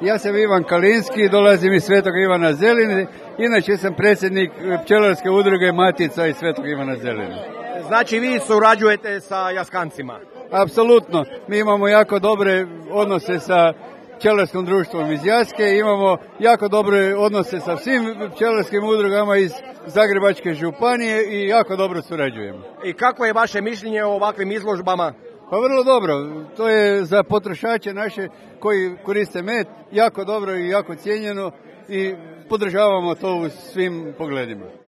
Ja sam Ivan Kalinski, dolazim iz Svetog Ivana Zeline, inače sam predsjednik pčelarske udruge Matica iz Svetog Ivana Zeline. Znači vi surađujete sa Jaskancima? Apsolutno, mi imamo jako dobre odnose sa pčelarskom društvom iz Jaske, imamo jako dobre odnose sa svim pčelarskim udrugama iz Zagrebačke županije i jako dobro surađujemo. I kako je vaše mišljenje o ovakvim izložbama? Pa vrlo dobro, to je za potrošače naše koji koriste med jako dobro i jako cijenjeno i podržavamo to u svim pogledima.